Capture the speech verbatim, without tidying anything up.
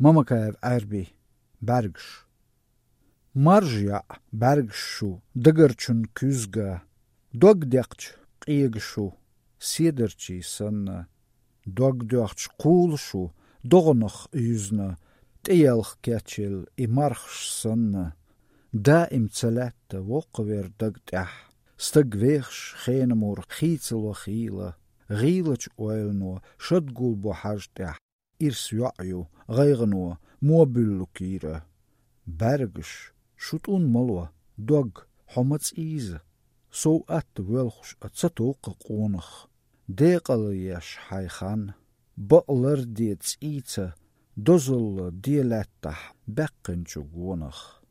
Mamakaev erbi, bergš. Marjja bergšu, dagarčun küzga, dogdekč qiegšu, siederči sanna, dogdekč kuulšu, dognach yüzna, tielch ketchil i marchs sanna, da im celette wokkewer dagtach, stagweechs geenemur gietsel giela, gielach oilno, shudgul bohajtach, irs wa'ju, gaigano, mobillu kira, bergsh, shutun malwa, dog, homats ize, so at welchs at satoke qonach, deqal yesh haykhan, butler diets ite, dozel dielettach, bekkenchu gonach.